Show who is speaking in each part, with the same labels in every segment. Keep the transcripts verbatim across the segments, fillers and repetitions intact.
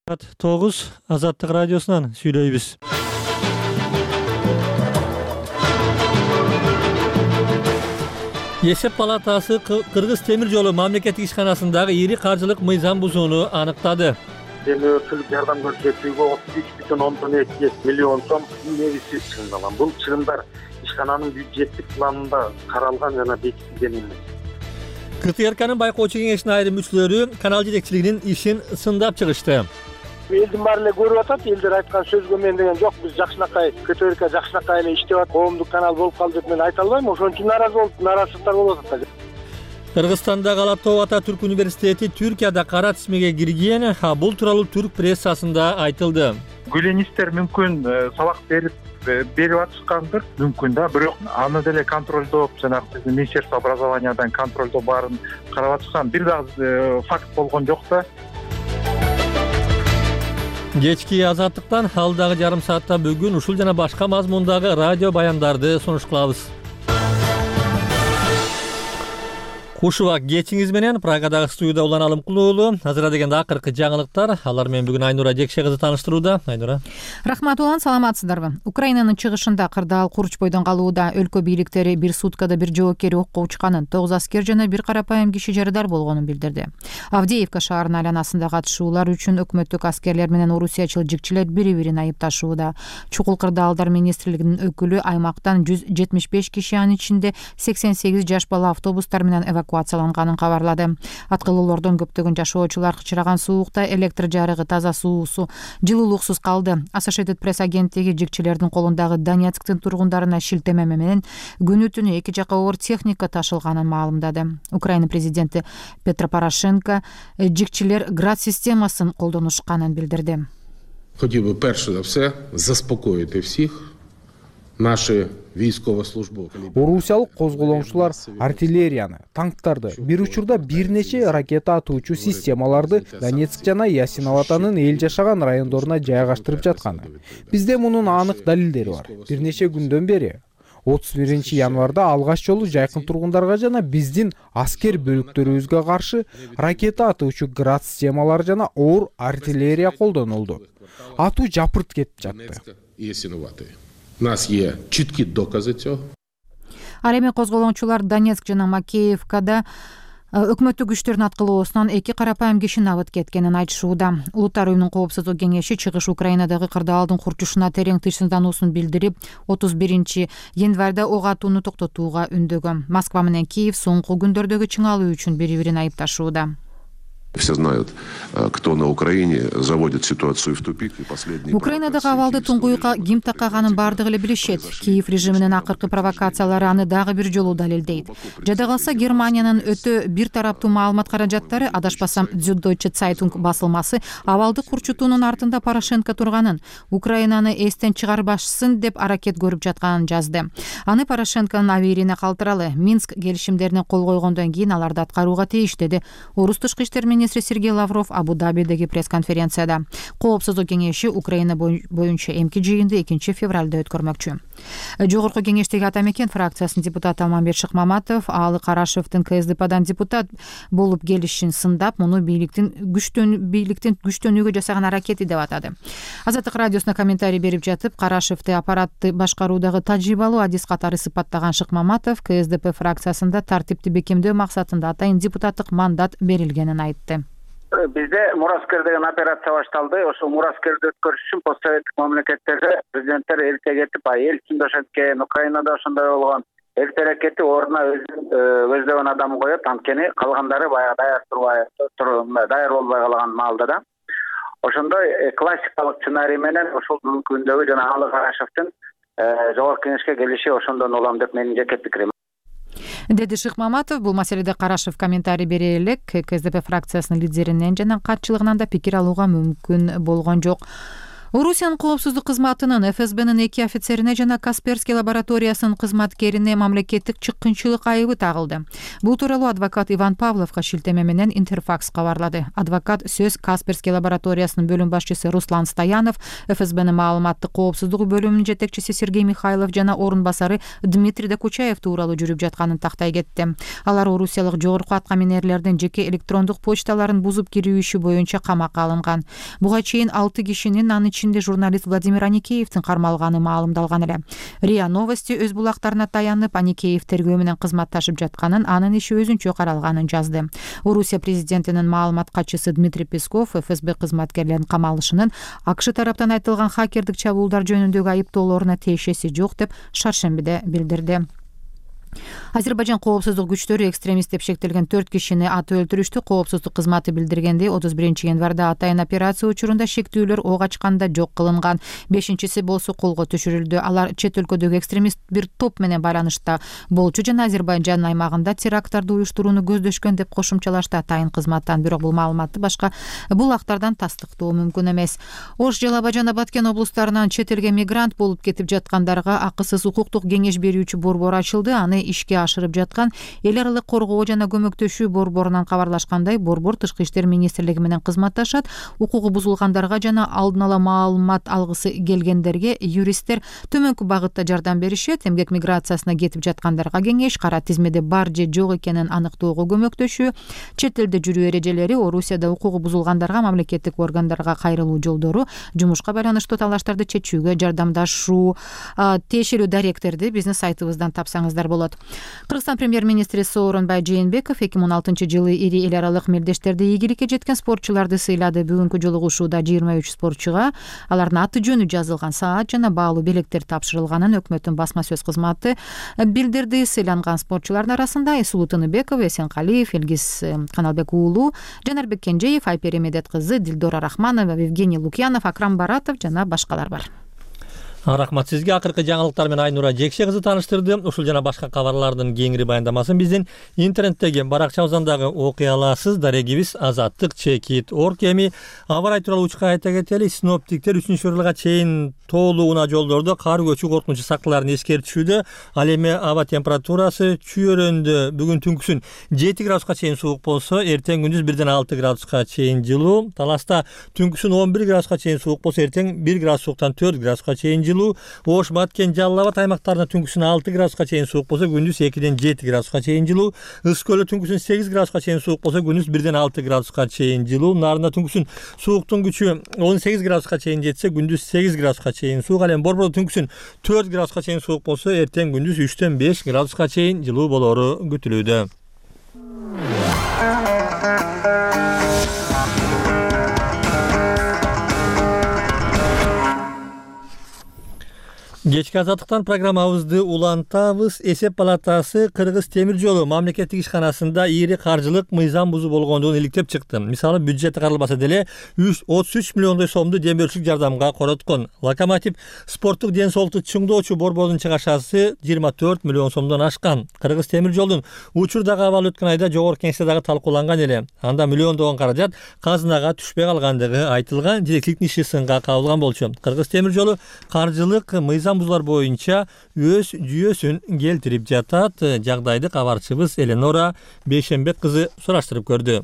Speaker 1: Саат тогуз Азаттык радиосунан сүйлөйбүз. Эсеп палатасы Кыргыз темир жолу мамлекеттик ишканасындагы ири каржылык мыйзам бузууну аныктады.
Speaker 2: Демөөрчүлүк жардам көрсөтүүгө отуз үч бүтүн ондон эки миллион сом негизи чыгындалган. Бул чыгымдар ишкананын бюджеттик планында каралган жана бекитилген эмес.
Speaker 1: КТРКнын байкоочу кеңешинин айрым мүчөлөрү канал жетекчилигинин ишин сындап чыгышты.
Speaker 3: Элдин баары эле көрүп атат, элдер айткан сөзгө мен деген жок, биз жакшынакай КТРК жакшынакай эле иштеп атат, коомдук канал болуп калды деп мен айта албайм, ошон үчүн нааразы болуп, нааразычылыктар болуп атат.
Speaker 1: Кыргызстандагы Алап тоо ата түрк университети Түркияда кара тизмеге кирген, а бул тууралуу түрк прессасында айтылды.
Speaker 4: Гүленистер мүмкүн сабак берип берип атышкандыр, мүмкүн да, бирок аны деле контролдоп, жанагы биздин Министерство образованиядан контролдоо баарын карап атышкан. Бир дагы факт болгон жок да.
Speaker 1: Кечки Азаттыктан алдагы жарым саатта бүгүн ушул жана башка мазмундагы радио баяндарды сунуш кылабыз. Кушуба кечиңиз менен Прагадагы студияда улан Алымкулуулу. Азыра дегенде акыркы жаңылыктар. Алар менен бүгүн Айнура Жекше кызы тааныштырууда. Айнура.
Speaker 5: Рахмат улан, саламатсыздарбы? Украинанын чыгышында кырдаал Курчбойдон калууда өлкө бийликтери бир суткада бир жоокер окко учканын, тогуз аскер жана бир карапайым киши жарадар болгонун билдирди. Авдеевка шаарынын айланасында катышуулар үчүн өкмөттүк аскерлер менен орусиячыл жигчилер бири-бирин айыпташууда. Чукул кырдаалдар министрлигинин өкүлү аймактан жүз жетимиш беш киши, анын ичинде сексен сегиз жаш бала автобустар менен эвакуацияланганын кабарлады. Аткылуулордон көптөгөн жашоочулар кычыраган суукта электр жарыгы, таза суусу, жылуулуксуз калды. Associated Press агенттиги жигчилердин колундагы Донецктин тургундарына шилтеме менен күнү түнү эки жака оор техника ташылганын маалымдады. Украина президенти Петро Порошенко жигчилер град системасын колдонушканын билдирди.
Speaker 6: Хотів би перше за все заспокоїти всіх. Наши військовослужбовці.
Speaker 7: Орусиялык козголоңчулар артиллерияны, танктарды, бир учурда бир нече ракета атуучу системаларды Донецк жана Ясиноватанын эл жашаган райондоруна жайгаштырып жатканы. Бизде мунун анык далилдери бар. Бир нече күндөн бери отуз биринчи январда алгач жолу жайкын тургундарга жана биздин аскер бөлүктөрүбүзгө каршы ракета атуучу град системалары жана оор артиллерия колдонулду. Атуу жапырт кетип жатты.
Speaker 6: У нас є чіткі докази цього.
Speaker 5: Ал эми козголоңчулар Донецк жана Макеевкада өкмөттүк күчтөрдүн аткылоосунан эки карапайым киши набыт кеткенин айтышууда. Улуттар уюмунун коопсуздук кеңеши чыгыш Украинадагы кырдаалдын курчушуна терең тынчсыздануусун билдирип, отуз биринчи январда ок атууну токтотууга үндөгөн. Москва менен Киев соңку күндөрдөгү чыңалуу үчүн бири-бирин айыпташууда.
Speaker 8: Все знают, кто на Украине заводит ситуацию в тупик.
Speaker 5: Украинадагы абалды туңгуюкка ким такаганын бардыгы эле билишет. Киев режиминин акыркы провокациялары аны дагы бир жолу далилдейт. Жада калса Германиянын өтө бир тараптуу маалымат каражаттары, адашпасам Süddeutsche Zeitung басылмасы, абалды курчутуунун артында Порошенко турганын, Украинаны эстен чыгарбашсын деп аракет көрүп жатканын жазды. Аны Порошенконун абийирине калтыралы. Минск келишимдерине кол койгондон кийин аларды аткарууга тийиш, деди Орус тышкы иштер министри Сергей Лавров Абу-Дабидеги пресс-конференцияда. Коопсуздук кеңеши Украина боюнча эмки жыйынды экинчи февралда өткөрмөкчү. Жогорку кеңештеги Атамекен фракциясынын депутаты Алмамбет Шыкмаматов Аалы Карашевдин КСДПдан депутат болуп келишин сындап, муну бийликтин күчтөн бийликтин күчтөнүүгө жасаган аракети деп атады. Азаттык радиосуна комментарий берип жатып, Карашевди аппаратты башкаруудагы тажрыйбалуу адис катары сыпаттаган Шыкмаматов КСДП фракциясында тартипти бекемдөө максатында атайын депутаттык мандат берилгенин айтты.
Speaker 2: Бизде Мураскер деген операция башталды. Ошол Мураскерди өткөрүш үчүн постсоветтик мамлекеттерде президенттер эрте кетип, эл ичинде ошенткен, Украинада ошондой болгон. Эртерээк кетип, ордуна өздөгөн адам коюп, анткени калгандары баягы даяр турбай, даяр болбой калган маалда да. Ошондой классикалык сценарий менен ошол бүгүнкү күндөгү жана Аалы Карашевдин жогорку кеңешке келиши ошондон улам деп менин жеке пикирим.
Speaker 5: Деди Шыкмаматов. Бул маселеде Карашев комментарий бере элек. КСДП фракциясынын лидеринен жана катчылыгынан да пикир алууга мүмкүн болгон жок. Орусиянын коопсуздук кызматынын эф эс бнын эки офицерине жана Касперский лабораториясынын кызматкерине мамлекеттик чыккынчылык айыбы тагылды. Бул тууралуу адвокат Иван Павловго шилтеме менен Интерфакс кабарлады. Адвокат сөз Касперский лабораториясынын бөлүм башчысы Руслан Стоянов, эф эс бнын маалыматтык коопсуздук бөлүмүнүн жетекчиси Сергей Михайлов жана орун басары Дмитрий Докучаев тууралуу жүрүп жатканын тактай кетти. Алар орусиялык жогорку атка минерлердин жеке электрондук почталарын бузуп кирүү иши боюнча камакка алынган. Буга чейин алты кишинин, анын ичинде журналист Владимир Аникеевдин кармалганы маалымдалган эле. РИА Новости өз булактарына таянып, Аникеев тергөө менен кызматташып жатканын, анын иши өзүнчө каралганын жазды. Орусия президентинин маалымат катчысы Дмитрий Песков эф эс бэ кызматкерлеринин камалышынын АКШ тараптан айтылган хакердик чабуулдар жөнүндөгү айыптоолоруна тиешеси жок деп шаршембиде билдирди. Азербайжан коопсуздук күчтөрү экстремист деп шектелген төрт кишини атып өлтүрүштү. Коопсуздук кызматы билдиргендей, отуз биринчи январда атайын операция учурунда шектүүлөр ок ачканда жок кылынган. Бешинчиси болсо колго түшүрүлдү. Алар чет өлкөдөгү экстремист бир топ менен байланышта болчу жана Азербайжан аймагында теракттарды уюштурууну көздөшкөн деп кошумчалашты атайын кызматтан. Бирок бул маалыматты башка булактардан тастыктоо мүмкүн эмес. Ош, Жалаба жана Баткен облустарынан чет элге мигрант болуп кетип жаткандарга акысыз укуктук кеңеш берүүчү борбор ачылды. Аны ишке ашырып жаткан эл аралык коргоо жана көмөктөшүү борборунан кабарлашкандай, борбор Тышкы иштер министрлиги менен кызматташат. Укугу бузулгандарга жана алдын ала маалымат алгысы келгендерге юристтер төмөнкү багытта жардам беришет. Эмгек миграциясына кетип жаткандарга кеңеш, кара тизмеде бар же жок экенин аныктоого көмөктөшүү, чет элде жүрүү эрежелери, Орусияда укугу бузулгандарга мамлекеттик органдарга кайрылуу жолдору, жумушка байланыштуу талаштарды чечүүгө жардамдашуу. Тиешелүү даректерди биздин сайтыбыздан тапсаңыздар болот. Кыргызстан премьер-министри Сооронбай Жээнбеков эки миң он алтынчы жылы ири эл аралык мелдештерде ийгиликке жеткен спортчуларды сыйлады. Бүгүнкү жолугушууда жыйырма үч спортчуга алардын аты жөнү жазылган саат жана баалуу белектер тапшырылганын өкмөттүн басма сөз кызматы билдирди. Сыйланган спортчулардын арасында Эсулуу Тыныбеков, Эсенкалиев, Элгиз Каналбек уулу, Жанарбек Кенжеев, Айпери Медет кызы, Дилдора Рахманова, Евгений Лукьянов, Акрам Баратов жана башкалар бар.
Speaker 1: Рахмат сизге. Акыркы жаңылыктар менен Айнура Жекше кызы таныштырды. Ушул жана башка кабарлардын кеңири баяндамасын биздин интернеттеги баракчабыздан дагы окуй аласыз. Дарегибиз азаттык чекит точка орг. Эми аба ырайы тууралуу учка айта кетели. Синоптиктер үчүнчү февралга чейин тоолуу унаа жолдордо кар көчүү коркунучу сактыларын эскертишүүдө. Ал эми аба температурасы Чүйөрөндө бүгүн түнкүсүн жети градуска чейин суук болсо, эртең күндүз бирден алты градуска чейин жылуу. Таласта түнкүсүн он бир градуска чейин суук болсо, эртең бир градус сууктан төрт градуска чейин жылуу. Ош, Баткен, Жалал Абад аймактарында түнкүсүн алты градуска чейин суук болсо, күндүз экиден жети градуска чейин жылуу. Ыс көлү түнкүсүн сегиз градуска чейин суук болсо, күндүз бирден алты градуска чейин жылуу. Нарында түнкүсүн сууктун күчү он сегиз градуска чейин жетсе, күндүз сегиз градуска чейин суук. Ал эми Борбордо түнкүсүн төрт градуска чейин суук болсо, эртең күндүз үчтөн беш градуска чейин жылуу болору күтүлүүдө. Кечки азаттыктан программабызды улантабыз. Эсеп палатасы Кыргыз темир жолу мамлекеттик ишканасында ири каржылык мыйзам бузуу болгондугун иликтеп чыкты. Мисалы, бюджети каралбаса деле отуз үч миллиондой сомду демөөрчүлүк жардамга короткон. Локомотив спорттук ден соолукту чыңдоочу борбордун чыгашасы жыйырма төрт миллион сомдон ашкан. Кыргыз темир жолдун учурдагы абалы өткөн айда жогорку кеңеште дагы талкууланган эле. Анда миллиондогон каражат казынага түшпөй калгандыгы айтылган. Жетекчиликтин иши сынга кабылган болчу. Кыргыз темир жолу каржылык мыйзам бузуулар боюнча өз жүйөсүн келтирип жатат. Жагдайды кабарчыбыз Эленора Бейшембек кызы сураштырып көрдү.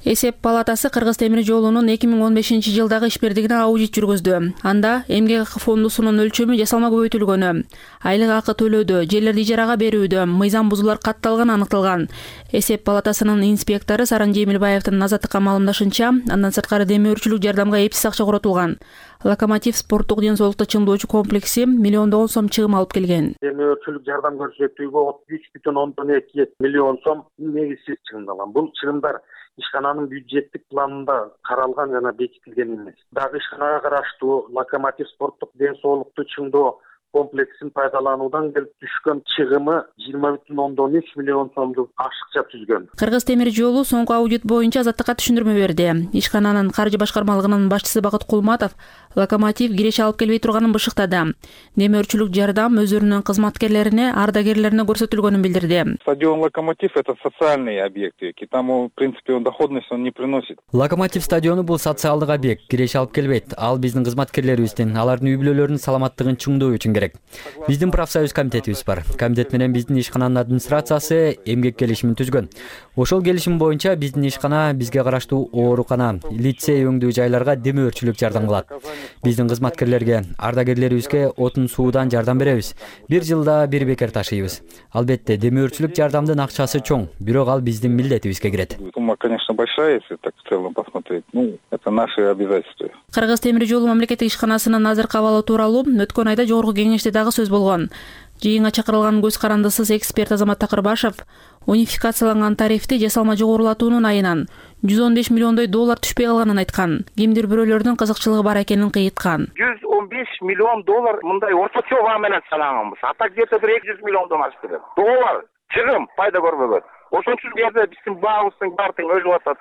Speaker 9: Эсеп палатасы Кыргыз темир жолунун эки миң он бешинчи жылдагы ишбирдигине аудит жүргүздү. Анда эмгек акы фондусунун өлчөмү жасалма көбөйтүлгөнү, айлык акы төлөөдө, жерлерди ижарага берүүдө мыйзам бузуулар катталганы аныкталган. Эсеп палатасынын инспектору Саран Жемилбаевдин Азаттыкка маалымдашынча, андан сырткары демөөрчүлүк жардамга эпсиз акча коротулган. Локомотив спорттук ден соолукту чыңдоочу комплекси миллиондогон сом чыгым алып келген.
Speaker 3: Демөөрчүлүк жардам көрсөтүүгө отуз үч бүтүн ондон эки миллион сом негизсиз чыгымдалган. Бул чыгымдар ишкананын бюджеттик планында каралган жана бекитилген эмес. Дагы ишканага караштуу Локомотив спорттук ден соолукту чыңдоо
Speaker 10: комплексин пайдалануудан келип түшкөн чыгымы жыйырма бүтүн ондон үч миллион сомдук ашыкча түзгөн.
Speaker 9: Кыргыз темир жолу соңку аудит боюнча Азаттыкка түшүндүрмө берди. Ишкананын каржы башкармалыгынын башчысы Бакыт Кулматов локомотив киреше алып келбей турганын бышыктады. Демөөрчүлүк жардам өзүнүн кызматкерлерине, ардагерлерине көрсөтүлгөнүн билдирди.
Speaker 11: Стадион «Локомотив» — это социальный объект, и там, в принципе, он доходность он не приносит.
Speaker 12: Локомотив стадиону бул социалдык объект, киреше алып келбейт. Ал биздин кызматкерлерибиздин, алардын үй бүлөлөрүнүн саламаттыгын чыңдоо үчүн керек. Биздин профсоюз комитетибиз бар. Комитет менен биздин ишкананын администрациясы эмгек келишимин түзгөн. Ошол келишим боюнча биздин ишкана бизге караштуу оорукана, лицей өңдүү жайларга демөөрчүлүк жардам кылат. Биздин кызматкерлерге, ардагерлерибизге отун суудан жардам беребиз. Бир жылда бир бекер ташыйбыз. Албетте, демөөрчүлүк жардамдын акчасы чоң, бирок ал биздин милдетибизге кирет.
Speaker 11: Сумма, конечно, большая, если так в целом посмотреть. Ну, это наши обязательства.
Speaker 9: Кыргыз темир жолу мамлекеттик ишканасынын азыркы абалы тууралуу өткөн айда жогорку кеңеште дагы сөз болгон. Жыйынга чакырылган көз карандысыз эксперт Азамат Такырбашев унификацияланган тарифти жасалма жогорулатуунун айынан жүз он беш миллиондой доллар түшпөй калганын айткан. Кимдир бирөөлөрдүн кызыкчылыгы бар экенин кыйыткан.
Speaker 2: жүз он беш миллион доллар мындай орточо баа менен санаганбыз. Ата где-то бир эки жүз миллиондон ашты деп. Доллар чыгым пайда көрбөгөн. Ошон үчүн бу жерде биздин баабыздын баары тең өлүп атат.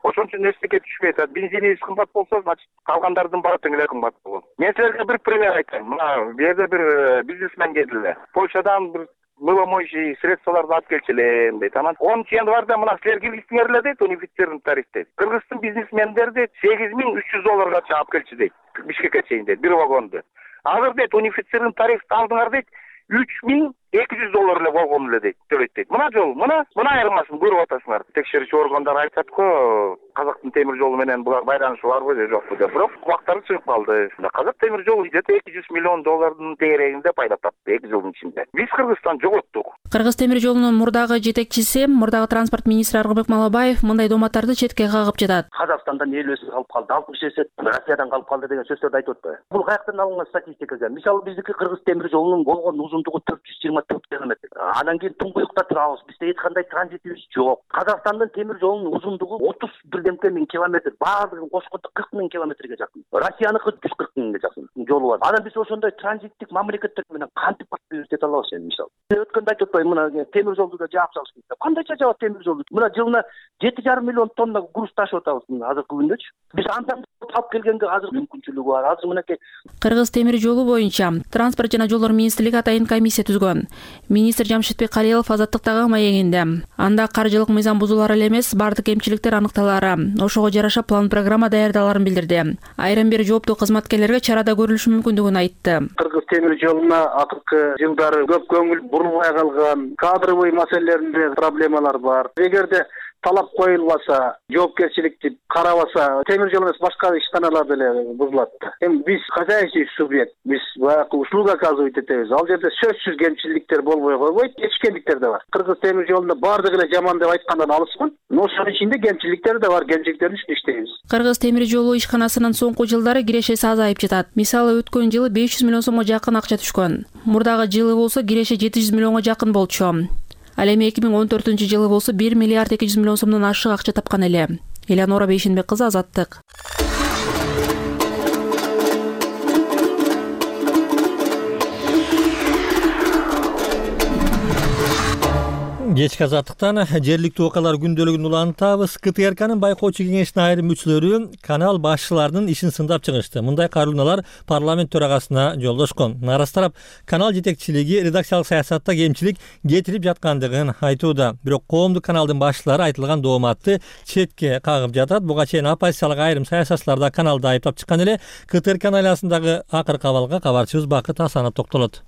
Speaker 2: Ошон үчүн эчтеке түшпөй атат. Бензинибиз кымбат болсо, значит, калгандардын баары тең эле кымбат болгон. Мен силерге бир пример айтайын. Мына бу жерде бир бизнесмен келди эле. Польшадан бир мыломоющий средстволорду алып келчү элем дейт. Анан онунчу январда мына силер киргиздиңер эле дейт, унифицированный тариф дейт. Кыргыздын бизнесмендери дейт сегиз миң үч жүз долларга алып келчү дейт. Бишкекке чейин дейт, бир вагонду. Азыр дейт унифицированный тарифти алдыңар дейт, үч миң эки жүз доллар эле болгон эле дейт, төлөйт дейт. Мына жол, мына, мына айырмасын көрүп атасыңар. Текшерүүчү органдар айтат го, Казактын темир жолу менен булар байланышы барбы же жокпу деп. Бирок убактары чыгып калды. Казак темир жолу где-то эки жүз миллион доллардын тегерегинде пайда тапты эки жылдын ичинде. Биз Кыргызстан жоготтук.
Speaker 9: Кыргыз темир жолунун мурдагы жетекчиси, мурдагы транспорт министри Аргынбек Малабаев мындай доматтарды четке кагып жатат.
Speaker 13: Казакстандан эл өсүп калып калды, алтымыш эсет Россиядан калып калды деген сөздөрдү айтып атпайбы? Бул каяктан алынган статистика экен? Мисалы биздики Кыргыз темир жолунун болгон узундугу төрт жүз жыйырма төрт километр. Анан кийин Туңгуюкта турабыз. Бизде эч кандай транзитибиз жок. Казакстандын темир жолунун узундугу отуз бирдемке миң километр. Баардыгын кошкондо кырк миң километрге жакын. Россияныкы жүз кырк миңге жакын жолу бар. Анан биз ошондой транзиттик мамлекеттер менен кантип баттыбыз дете алабыз эми мисалы. Өткөндө айтып атпайбы, мына темир жолду да жаап салыш керек. Кандайча жаап темир жолду? Мына жылына жети жарым миллион тонна груз ташып атабыз азыркы күндөчү. Биз андан алып келгенге азыр мүмкүнчүлүгү бар. Азыр мынакей
Speaker 9: Кыргыз темир жолу боюнча транспорт жана жолдор министрлиги атайын комиссия түзгөн. Министр Жамшитбек Калиелов Азаттыктагы маегинде анда каржылык мыйзам бузуулар эле эмес, бардык кемчиликтер аныкталары, ошого жараша план программа даярдаларын билдирди. Айрым бир жооптуу кызматкерлерге чарада көрүлүшү мүмкүндүгүн айтты.
Speaker 10: Кыргыз темир жолуна акыркы жылдары көп көңүл бурулбай калган, кадровый маселелеринде проблемалар бар. Эгерде талап коюлбаса, жоопкерчиликти карабаса, темир жол эмес башка ишканалар деле бузулат. Эми биз хозяйственный субъект, биз баягы услуга оказывать этебиз. Ал жерде сөзсүз кемчиликтер болбой койбойт, кечкендиктер да бар. Кыргыз темир жолунда бардыгы эле жаман деп айткандан алыскын, но ошонун ичинде кемчиликтер да бар, кемчиликтердин үстүнө иштейбиз.
Speaker 9: Кыргыз темир жолу ишканасынын соңку жылдары кирешеси азайып жатат. Мисалы өткөн жылы беш жүз миллион сомго жакын акча түшкөн. Мурдагы жылы болсо киреше жети жүз миллионго жакын болчу. Ал эми эки миң он төртүнчү жылы болсо бир миллиард эки жүз миллион сомдон ашык акча тапкан эле. Элеонора Бейшенбек кызы, Азаттык.
Speaker 1: Кечки Азаттыктан жергиликтүү окуялар күндөлүгүн улантабыз. КТРКнын байкоочу кеңешинин айрым мүчөлөрү канал башчыларынын ишин сындап чыгышты. Мындай карууланалар парламент төрагасына жолдошкон. Нарас тарап канал жетекчилиги редакциялык саясатта кемчилик кетирип жаткандыгын айтууда. Бирок коомдук каналдын башчылары айтылган дооматты четке кагып жатат. Буга чейин оппозициялык айрым саясатчылар да каналды айыптап чыккан эле. КТРКнын айласындагы акыркы абалга кабарчыбыз Бакыт Асанов токтолот.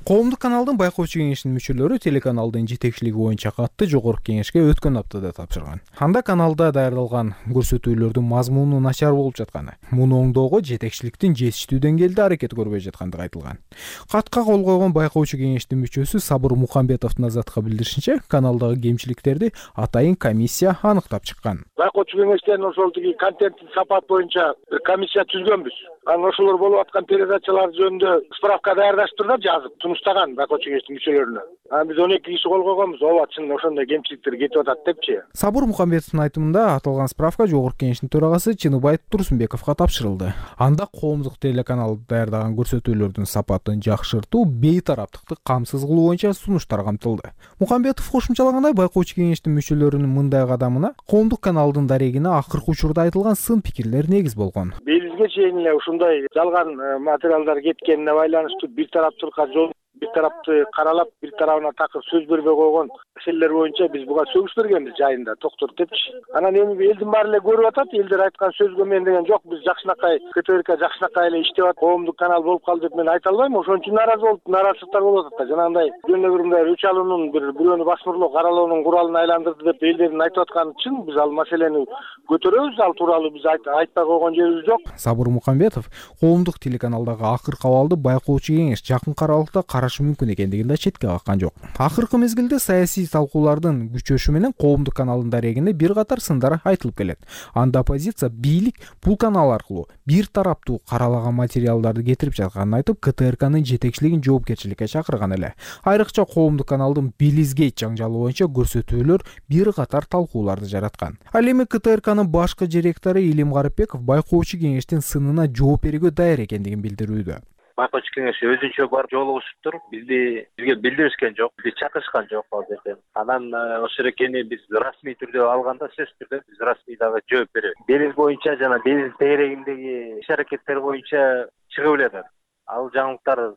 Speaker 7: Коомдук каналдын байкоочу кеңешинин мүчөлөрү телеканалдын жетекчилиги боюнча катты жогорку кеңешке өткөн аптада тапшырган. Анда каналда даярдалган көрсөтүүлөрдүн мазмуну начар болуп жатканы, муну оңдоого жетекчиликтин жетиштүү деңгээлде аракет көрбөй жаткандыгы айтылган. Катка кол койгон байкоочу кеңештин мүчөсү Сабыр Мухамбетовдун Азаттыкка билдиришинче, каналдагы кемчиликтерди атайын комиссия аныктап чыккан.
Speaker 3: Байкоочу кеңештен ошол тиги контенттин сапаты боюнча бир комиссия түзгөнбүз. Анан ошолор болуп аткан передачалар жөнүндө справка даярдаштырып жазып сунуштаган байкоочу кеңештин мүчөлөрүнө. анан биз он эки киши кол койгонбуз. ооба чын ошондой кемчиликтер кетип атат депчи.
Speaker 7: Сабур Мукамбетовдун айтымында аталган справка Жогорку Кеңештин төрагасы Чыныбай Турсунбековго тапшырылды. Анда коомдук телеканал даярдаган көрсөтүүлөрдүн сапатын жакшыртуу, бейтараптыкты камсыз кылуу боюнча сунуштар камтылды. Мукамбетов кошумчалагандай, байкоочу кеңештин мүчөлөрүнүн мындай кадамына коомдук каналдын дарегине акыркы учурда айтылган сын пикирлер негиз болгон.
Speaker 3: Бизге чейин эле ушундай жалган материалдар кеткенине байланыштуу бир тараптуулукка жол бир тарапты каралап, бир тарабына такыр сөз бербей койгон маселелер боюнча биз буга сөгүш бергенбиз жайында токтот депчи. Анан эми элдин баары эле көрүп атат, элдер айткан сөзгө мен деген жок, биз жакшынакай КТРК жакшынакай эле иштеп атат, коомдук канал болуп калды деп мен айта албайм. Ошон үчүн нааразы болуп, нараазычылыктар болуп атат да. Жанагындай жөн эле бир мындай өч алуунун, бир бирөөнү басмырлоо каралоонун куралын айландырды деп элдердин айтып атканы чын. Биз ал маселени көтөрөбүз, ал тууралуу биз айтпай койгон жерибиз жок.
Speaker 7: Сабур Мукамбетов коомдук телеканалдагы акыркы абалды байкоочу кеңеш жакын аралыкта карашы мүмкүн экендигин да четке каккан жок. Акыркы мезгилде саясий талкуулардын күчөшү менен коомдук каналдын дарегине бир катар сындар айтылып келет. Анда оппозиция бийлик бул канал аркылуу бир тараптуу каралаган материалдарды кетирип жатканын айтып, КТРКнын жетекчилигин жоопкерчиликке чакырган эле. Айрыкча коомдук каналдын Белизгейт жаңжалы боюнча көрсөтүүлөр бир катар талкууларды жараткан. Ал эми КТРКнын башкы директору Илим Гарыпбеков байкоочу кеңештин сынына жооп берүүгө даяр экендигин билдирүүдө.
Speaker 14: Байкоочу кеңеш өзүнчө барып жолугушуптур. Бизди бизге билдиришкен жок, бизди чакырышкан жок ал жерден. Анан ошол экени биз расмий түрдө алганда сөзсүз түрдө биз расмий дагы жооп беребиз. Белиз боюнча жана Белиз тегерегиндеги иш-аракеттер боюнча чыгып эле. Ал жаңылыктар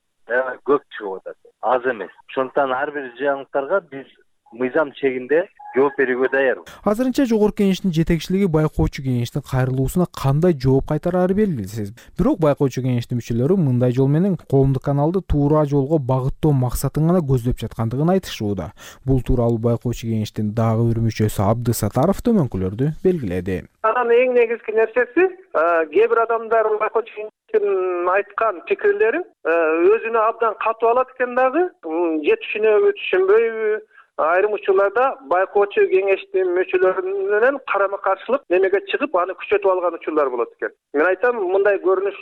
Speaker 14: көп чыгып атат, аз эмес. Ошондуктан ар бир жаңылыктарга биз мыйзам чегинде жооп берүүгө даярбыз.
Speaker 7: Азырынча Жогорку Кеңештин жетекчилиги байкоочу кеңештин кайрылуусуна кандай жооп кайтарары белгисиз. Бирок байкоочу кеңештин мүчөлөрү мындай жол менен коомдук каналды туура жолго багыттоо максатын гана көздөп жаткандыгын айтышууда. Бул тууралуу байкоочу кеңештин дагы бир мүчөсү Абды Сатаров төмөнкүлөрдү белгиледи.
Speaker 15: Анан эң негизги нерсеси, кээ бир адамдар байкоочу кеңештин айткан пикирлерин өзүнө абдан катуу алат экен дагы, же түшүнөбү, түшүнбөйбү. Айрым учурларда байкоочу кеңештин мүчөлөрү менен карама каршылык немеге чыгып, аны күчөтүп алган учурлар болот экен. Мен айтам, мындай көрүнүш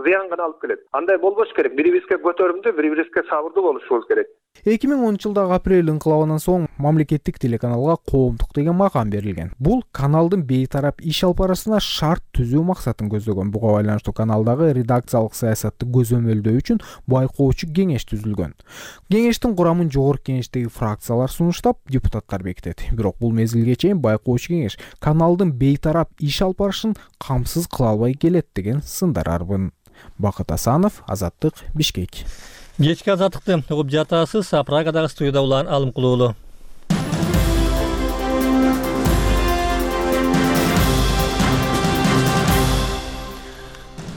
Speaker 15: зыян гана алып келет. Андай болбош керек. Бири-бирибизге көтөрүмдүү, бири-бирибизге сабырдуу болушубуз керек.
Speaker 7: эки миң онунчу жылдагы апрель инкылабынан соң мамлекеттик телеканалга коомдук деген макам берилген. Бул каналдын бейтарап иш алып барышына шарт түзүү максатын көздөгөн. Буга байланыштуу каналдагы редакциялык саясатты көзөмөлдөө үчүн байкоочу кеңеш түзүлгөн. Кеңештин курамын Жогорку Кеңештеги фракциялар сунуштап, депутаттар бекитет. Бирок бул мезгилге чейин байкоочу кеңеш каналдын бейтарап иш алып барышын камсыз кыла албай келет деген сындар арбын. Бакыт Асанов, Азаттык, Бишкек.
Speaker 1: Кечки азаттыкты угуп жатасыз. Прагадагы студияда улан Алым Кулуулу.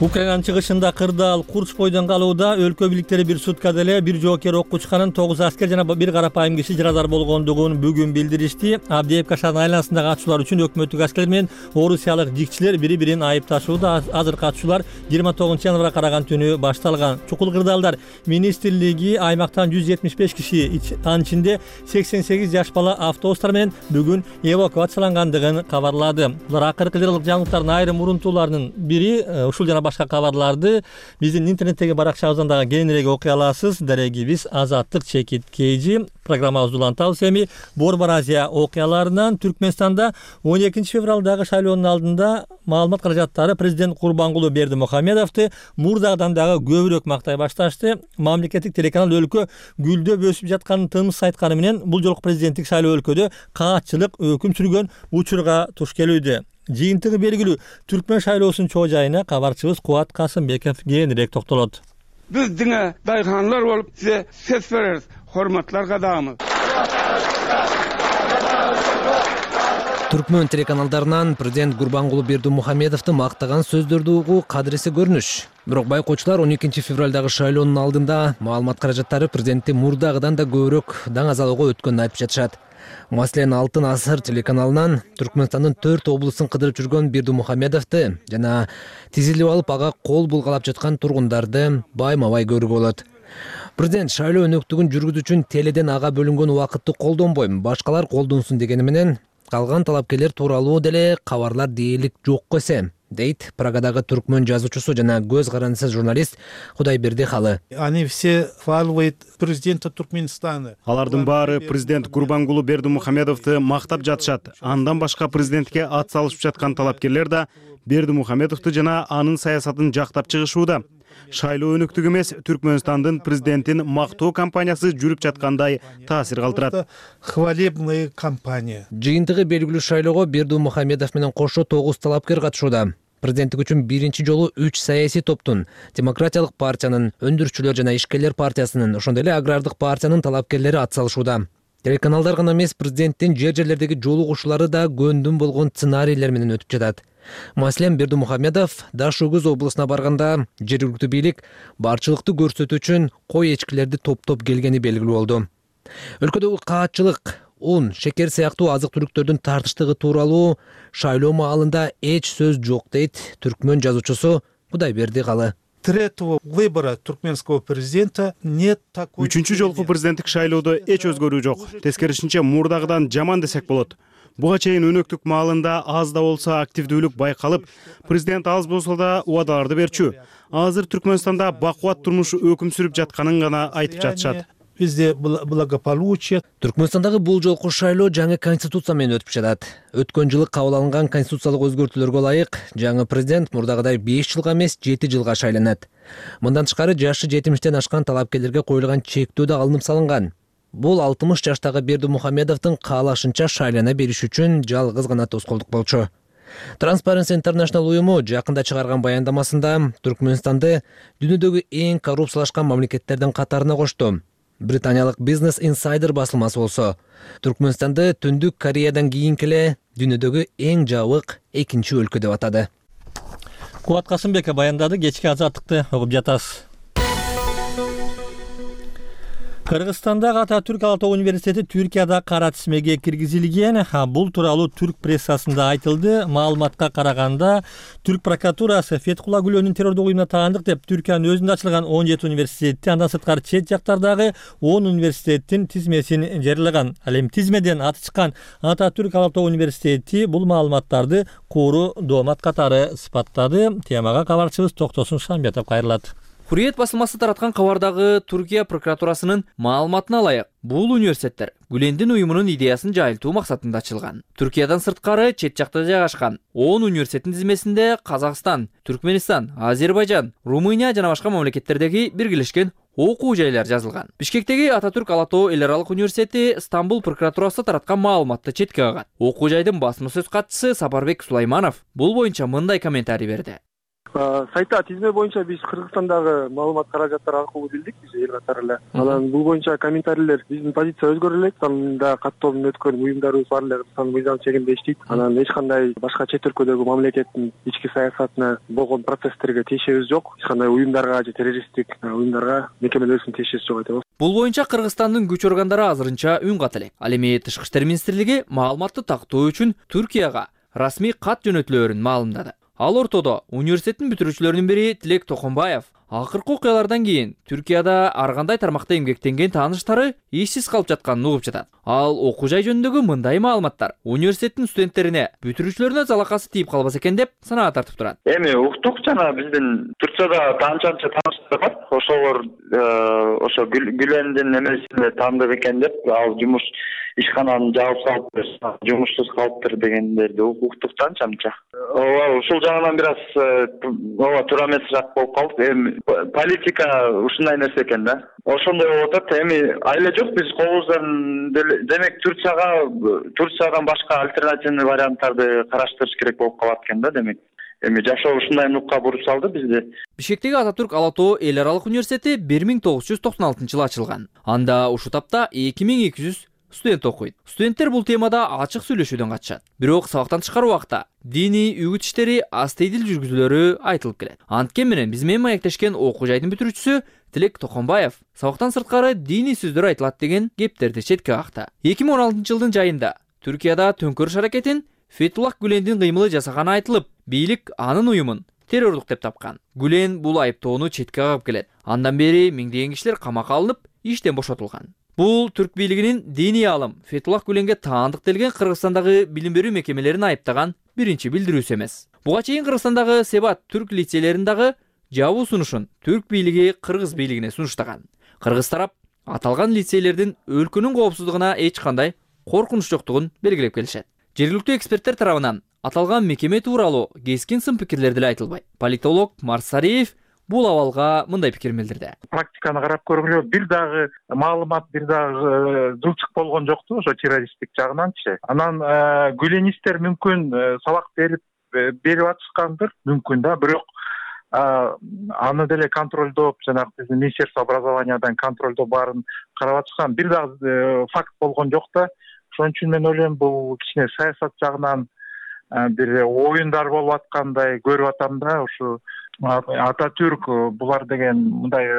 Speaker 1: Украинанын чыгышында кырдаал Курч бойдон калууда өлкө бийликтери бир суткада эле бир жоокер окко учканын, тогуз аскер жана бир карапайым киши жарадар болгондугун бүгүн билдиришти. Авдеевка шаарынын айланасындагы атышуулар үчүн өкмөттүк аскерлер менен орусиялык жигчилер бири-бирин айыпташууда. Азыркы атышуулар жыйырма тогузунчу январга караган түнү башталган. Чукул кырдаалдар министрлиги аймактан жүз жетимиш беш киши, анын ичинде сексен сегиз жаш бала автобустар менен бүгүн эвакуациялангандыгын кабарлады. Булар акыркы лиралык жаңылыктардын айрым урунтууларынын бири. Ушул жана башка кабарларды биздин интернеттеги баракчабыздан дагы кеңиреги окуй аласыз. Дарегибиз Азаттык Чекит Кейжи. Программабызды улантабыз. Эми Борбор Азия окуяларынан Түркмөнстанда он экинчи февралдагы шайлоонун алдында маалымат каражаттары президент Курбангулы Бердимухамедовду мурдагыдан дагы көбүрөөк мактай башташты. Мамлекеттик телеканал өлкө гүлдөп өсүп жатканын тыныс айтканы менен бул жолку президенттик шайлоо өлкөдө каатчылык өкүм сүргөн учурга туш келүүдө. Жыйынтыгы белгилүү. Түркмөн шайлоосунун чоо жайына кабарчыбыз Кубат Касымбеков кеңирээк токтолот.
Speaker 16: Биз деңе дайханлар болуп сизе сөз беребиз. Hormatlar кадамыз.
Speaker 17: Түркмөн телеканалдарынан президент Гурбангулы Бердимухамедовду мактаган сөздөрдү угуу кадыреси көрүнүш. Бирок байкоочулар он экинчи февралдагы шайлоонун алдында маалымат каражаттары президентти мурдагыдан да көбүрөөк даңазалоого өткөнүн айтып жатышат. Маселен, Алтын асыр телеканалынан Түркмөнстандын төрт облусун кыдырып жүргөн Бердимухамедовду жана тизилип алып ага кол булгалап жаткан тургундарды байма-бай көрүүгө болот. Президент шайлоо өнөктүгүн жүргүзүү үчүн теледен ага бөлүнгөн убакытты колдонбойм, башкалар колдонсун дегени менен калган талапкерлер тууралуу деле кабарлар дээрлик жок эсе. дейт Прагадагы түркмөн жазуучусу жана көз карандысыз журналист Кудайберди Халы.
Speaker 18: Они все хваливают президента Туркменистана.
Speaker 19: Алардын баары президент Гурбангулу Бердимухамедовду мактап жатышат. Андан башка президентке ат салышып жаткан талапкерлер да Бердимухамедовду жана анын саясатын жактап чыгышууда. Шайлоо өнүктүк эмес, Түркмөнстандын президентин мактоо кампаниясы жүрүп жаткандай таасир калтырат.
Speaker 18: Хвалебная кампания.
Speaker 17: Жыйынтыгы белгилүү шайлоого Бердимухамедов менен кошо тогуз талапкер катышууда. Президенттик үчүн биринчи жолу үч саясий топтун, Демократиялык партиянын, Өндүрүүчүлөр жана Ишкерлер партиясынын, ошондой эле Агрардык партиянын талапкерлери атсалышууда. Телеканалдар гана эмес, президенттин жер жерлердеги жолугушуулары да көндүм болгон сценарийлер менен өтүп жатат. Маселен, Бердимухамедов Даш-Өгүз облусуна барганда жергиликтүү бийлик барчылыкты көрсөтүү үчүн кой эчкилерди топтоп келгени белгилүү болду. Өлкөдөгү каатчылык, un, шекер сыяктуу азык-түлүктөрдүн тартыштыгы тууралуу шайлоо маалында эч сөз жок дейт түркмөн жазуучусу Кудайберди Калы.
Speaker 18: Третьего выбора туркменского президента нет такой.
Speaker 19: Үчүнчү жолку президенттик шайлоодо эч өзгөрүү жок. Тескерисинче мурдагыдан жаман десек болот. Буга чейин өнөктүк маалында аз да болсо активдүүлүк байкалып, президент аз болсо да убадаларды берчү. Азыр Түркмөнстанда бакубат турмуш өкүм сүрүп жатканын гана айтып жатышат.
Speaker 18: Везде благополучие.
Speaker 17: Түркмөнстандагы бул жолку шайлоо жаңы конституция менен өтүп жатат. Өткөн жылы кабыл алынган конституциялык өзгөртүүлөргө ылайык жаңы президент мурдагыдай беш жылга эмес жети жылга шайланат. Мындан тышкары жашы жетимиштен ашкан талапкерлерге коюлган чектөө да алынып салынган. Бул алтымыш жаштагы Бердимухамедовдун каалашынча шайлана бериш үчүн жалгыз гана тоскоолдук болчу. Transparency International уюму жакында чыгарган баяндамасында Түркмөнстанды дүйнөдөгү эң коррупциялашкан мамлекеттердин катарына кошту. Британиялык Business Insider басылмасы болсо, Түркмөнстанды Түндүк Кореядан кийинки эле дүйнөдөгү эң жабык экинчи өлкө деп атады.
Speaker 1: Кубат Касымбек баяндады, кечки азаттыкты угуп жатасыз. Кыргызстандагы Ататүрк Ала Тоо университети Түркияда кара тизмеге киргизилген. Бул тууралуу түрк прессасында айтылды. Маалыматка караганда, Түрк прокуратурасы Феткула Гүлөнүн террордук уюмуна таандык деп Түркиянын өзүндө ачылган он жети университетти, андан сырткары чет жактардагы он университеттин тизмесин жарыялаган. Ал эми тизмеден аты чыккан Ататүрк Ала Тоо университети бул маалыматтарды куру доомат катары сыпаттады. Темага кабарчыбыз Токтосун Шамбетов кайрылат.
Speaker 20: Хурриет басылмасы тараткан кабардагы Түркия прокуратурасынын маалыматына ылайык, бул университеттер Гүлендин уюмунун идеясын жайылтуу максатында ачылган. Түркиядан сырткары чет жакта жайгашкан он университеттин тизмесинде Казакстан, Түркменистан, Азербайжан, Румыния жана башка мамлекеттердеги биргелешкен окуу жайлар жазылган. Бишкектеги Ататүрк Ала Тоо эл аралык университети Стамбул прокуратурасы тараткан маалыматты четке кагат. Окуу жайдын басма сөз катчысы Сапарбек Сулайманов бул боюнча мындай комментарий берди.
Speaker 3: Сайта тизме боюнча биз Кыргызстандагы маалымат каражаттары аркылуу билдик, биз эл катары эле. Анан бул боюнча комментарийлер биздин позиция өзгөрө элек. Анда каттоодон өткөн уюмдарыбыз бар эле Кыргызстандын мыйзам чегинде иштейт. Анан эч кандай башка чет өлкөдөгү мамлекеттин ички саясатына болгон процесстерге тиешебиз жок. Эч кандай уюмдарга же террористтик уюмдарга мекемелерибиздин тиешеси жок айтабыз.
Speaker 20: Бул боюнча Кыргызстандын күч органдары азырынча үн ката элек. Ал эми Тышкы иштер министрлиги маалыматты тактоо үчүн Түркияга расмий кат жөнөтүлөөрүн маалымдады. Ал ортодо университеттин бүтүрүүчүлөрүнүн бири Тилек Токонбаев акыркы окуялардан кийин Түркияда ар кандай тармакта эмгектенген тааныштары ишсиз калып жатканын угуп жатат. Ал окуу жай жөнүндөгү мындай маалыматтар университеттин студенттерине, бүтүрүүчүлөрүнө залакасы тийип калбаса экен деп санаа тартып турат.
Speaker 21: Эми уктук жана биздин Туркияда таанчанча тааныштар бар. Ошолор ошо Гүлендин эмесинде таандык экен деп, ал жумуш ишкананы жаап салыптыр, жумушсуз калыптыр дегендерди уктук танчанча. Ооба, ушул жагынан бир аз ооба туура эмесирээк болуп калды. Эми политика ушундай нерсе экен да. Ошондой болуп атат. Эми айла жок, биз колубуздан демек Турцияга Турциядан башка альтернативный варианттарды караштырыш керек болуп калат экен да, демек. Эми жашоо ушундай нукка буруп салды бизди.
Speaker 20: Бишкектеги Ататүрк Ала Тоо эл аралык университети бир миң тогуз жүз токсон алтынчы жылы ачылган. Анда ушул тапта эки миң эки жүз студент окуйт. Студенттер бул темада ачык сүйлөшүүдөн катышат. Бирок сабактан тышкары убакта диний үгүт иштери астейдил жүргүзүлөрү айтылып келет. Анткени менен биз менен маектешкен окуу жайдын бүтүрүүчүсү Тилек Токонбаев сабактан сырткары диний сөздөр айтылат деген кептерди четке какты. эки миң он алтынчы жылдын жайында Түркияда төңкөрүш аракетин Фетуллах Гүлендин кыймылы жасаганы айтылып, бийлик анын уюмун террордук деп тапкан. Гүлен бул айыптоону четке кагып келет. Андан бери миңдеген кишилер камакка алынып, иштен бошотулган. Бул түрк бийлигинин диний алым Фетуллах Гүленге таандык делген Кыргызстандагы билим берүү мекемелерин айыптаган биринчи билдирүүсү эмес. Буга чейин Кыргызстандагы Себат түрк лицейлерин дагы жабуу сунушун түрк бийлиги кыргыз бийлигине сунуштаган. Кыргыз тарап аталган лицейлердин өлкөнүн коопсуздугуна эч кандай коркунуч жоктугун белгилеп келишет. Жергиликтүү эксперттер тарабынан аталган мекеме тууралуу кескин сын пикирлер деле айтылбайт. Политолог Марсариев бул абалга мындай пикирин билдирди.
Speaker 11: Практиканы карап көргүлө бир дагы маалымат бир дагы жылчык болгон жокпу ошо террористтик жагынанчы. Анан гүленистер мүмкүн сабак берип берип атышкандыр, мүмкүн да, бирок аны деле контролдоп, жанагы биздин Министерство образованиядан контролдоп баарын карап атышкан бир дагы факт болгон жок да. Ошон үчүн мен ойлойм бул кичине саясат жагынан бир оюндар болуп аткандай көрүп атам да. Ушу Ататүрк булар деген мындай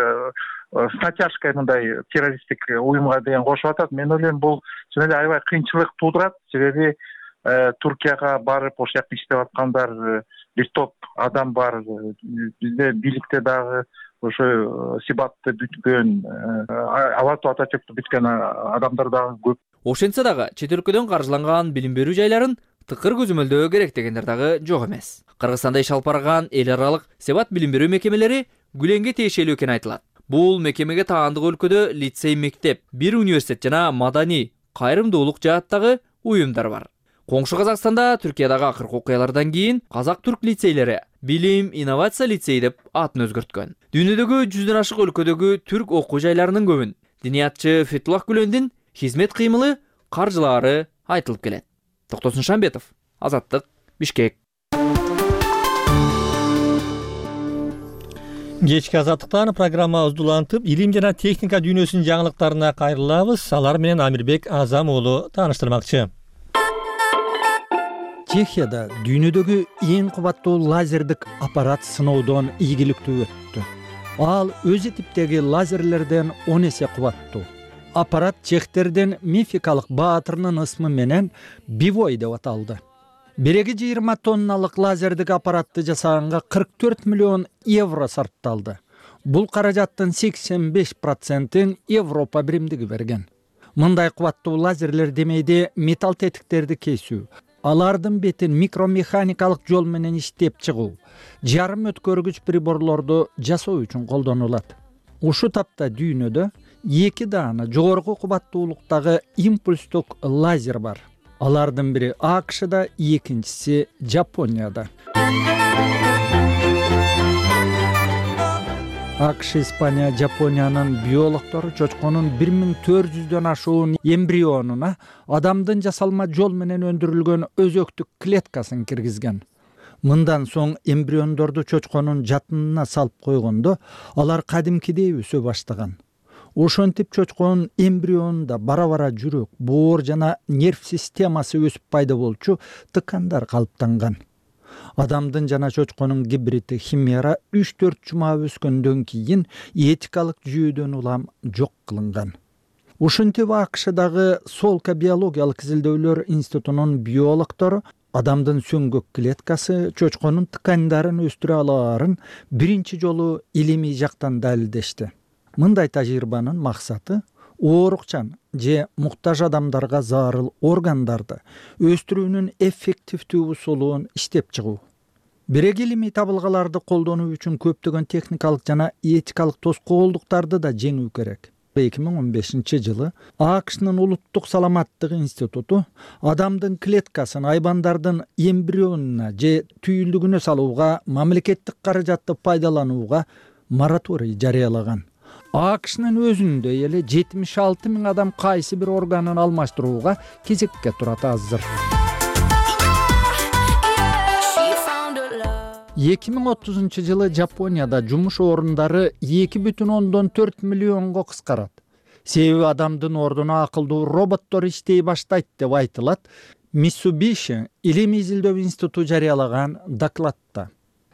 Speaker 11: с натяжкой мындай террористтик уюмга деген кошуп атат. Мен ойлойм бул чын эле аябай кыйынчылык туудурат, себеби Туркияга барып ошол жакта иштеп аткандар бир топ адам бар. Бизде бийликте дагы ошо Сибатты бүткөн, Алату Ататүрктү бүткөн адамдар дагы көп.
Speaker 20: Ошентсе дагы чет өлкөдөн каржыланган билим берүү жайларын тыкыр көзөмөлдөө керек дегендер дагы жок эмес. Кыргызстанда иш алып барган эл аралык Себат билим берүү мекемелери Гүленге тиешелүү экени айтылат. Бул мекемеге таандык өлкөдө лицей, мектеп, бир университет жана маданий кайрымдуулук жааттагы уюмдар бар. Коңшу Казакстанда Түркиядагы акыркы окуялардан кийин Казак-Түрк лицейлери билим, инновация лицей деп атын өзгөрткөн. Дүйнөдөгү жүздөн ашык өлкөдөгү түрк окуу жайларынын көбүн диниятчы Фетуллах Гүлендин хизмет кыймылы, каржылаары айтылып келет. Токтосун Шамбетов, Азаттык, Бишкек.
Speaker 1: Кечки Азаттыктан программабызды улантып, илим жана техника дүйнөсүнүн жаңылыктарына кайрылабыз. Алар менен Амирбек Азам уулу тааныштырмакчы.
Speaker 4: Чехияда дүйнөдөгү эң кубаттуу лазердик аппарат сыноодон ийгиликтүү өттү. Ал өзү типтеги лазерлерден он эсе кубаттуу. Аппарат чехтердин мификалык баатырынын ысмы менен Бивой деп аталды. Биреги жыйырма тонналык лазердик аппаратты жасаганга кырк төрт миллион евро сарпталды. Бул каражаттын сексен беш процентин Европа биримдиги берген. Мындай кубаттуу лазерлер демейде металл тетиктерди кесүү, алардын бетин микромеханикалык жол менен иштеп чыгуу, жарым өткөргүч приборлорду жасоо үчүн колдонулат. Ушу тапта дүйнөдө эки даана жогорку кубаттуулуктагы импульстук лазер бар. Алардын бири АКШда, экинчиси Жапонияда. АКШ, Испания, Жапониянын биологтору чочконун бир миң төрт жүздөн ашуун эмбрионуна адамдын жасалма жол менен өндүрүлгөн өзөктүк клеткасын киргизген. Мындан соң эмбриондорду чочконун жатынына салып койгондо алар кадимкидей өсө баштаган. Ошентип чочконун эмбрионунда бара-бара жүрөк, боор жана нерв системасы өсүп пайда болчу тыкандар калыптанган. Адамдын жана чочконун гибриди химера үч төрт жума өскөндөн кийин этикалык жүйөдөн улам жок кылынган. Ушинтип АКШдагы Солка биологиялык изилдөөлөр институтунун биологтору адамдын сөңгөк клеткасы чочконун тыкандарын өстүрө алаарын биринчи жолу илимий жактан далилдешти. Мындай тажрыйбанын максаты оорукчан же муктаж адамдарга зарыл органдарды өстүрүүнүн эффективдүү усулун иштеп чыгуу. Бирек илимий табылгаларды колдонуу үчүн көптөгөн техникалык жана этикалык тоскоолдуктарды да жеңүү керек. эки миң он бешинчи жылы АКШнын улуттук саламаттык институту адамдын клеткасын айбандардын эмбрионуна же түйүлдүгүнө салууга мамлекеттик каражатты пайдаланууга мораторий жарыялаган. АКШнын өзүндө эле жетимиш алты миң адам кайсы бир органын алмаштырууга кезекке турат азыр. эки миң отузунчу жылы Жапонияда жумуш орундары эки бүтүн ондон төрт миллионго кыскарат. Себеби адамдын ордуна акылдуу роботтор иштей баштайт деп айтылат. Mitsubishi илимий изилдөө институту жарыялаган докладта.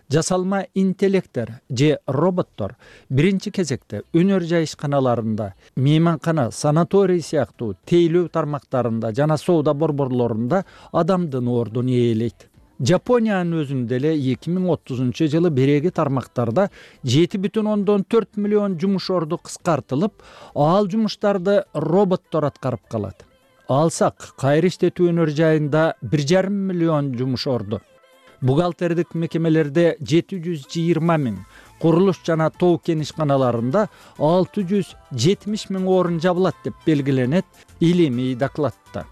Speaker 4: Жасалма интеллекттер же роботтор биринчи кезекте өнөр жайышканаларында, мейманкана, санаторий сыяктуу тейлөө тармактарында жана соода борборлорунда адамдын ордун ээлейт. Жапониянын өзүндө эле эки миң отузунчу жылы биреги тармактарда жети бүтүн ондон төрт миллион жумуш орду кыскартылып, ал жумуштарды роботтор аткарып калат. Алсак, кайра иштетүү өнөр жайында бир жарым миллион жумуш орду. бухгалтердик мекемелерде жети жүз жыйырма миң, курулуш жана тоо кен ишканаларында алты жүз жетимиш миң орун жабылат деп белгиленет илимий докладта.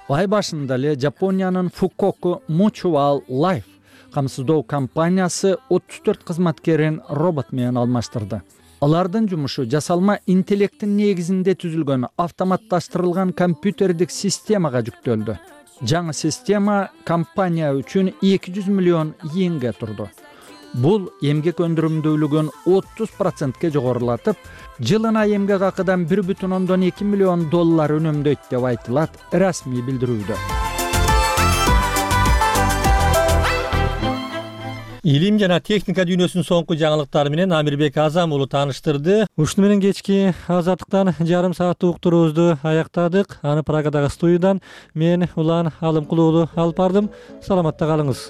Speaker 4: Ай башында эле Жапониянын Fukoku Mutual Life камсыздоо компаниясы отуз төрт кызматкерин робот менен алмаштырды. Алардын жумушу жасалма интеллекттин негизинде түзүлгөн автоматташтырылган компьютердик системага жүктөлдү. Жаңы система компания үчүн эки жүз миллион йенге турду. Бул эмгек өндүрүмдүүлүгүн отуз процентке жогорулатып, жылына эмгек акыдан бир бүтүн ондон эки миллион доллар үнөмдөйт деп айтылат расмий билдирүүдө.
Speaker 1: Илим жана техника дүйнөсүнүн соңку жаңылыктары менен Амирбек Азам уулу тааныштырды. Ушуну менен кечки азаттыктан жарым сааттык уктуруубузду аяктадык. Аны Праgadагы студиядан мен Улан Алымкулуу алып бардым. Саламатта калыңыз.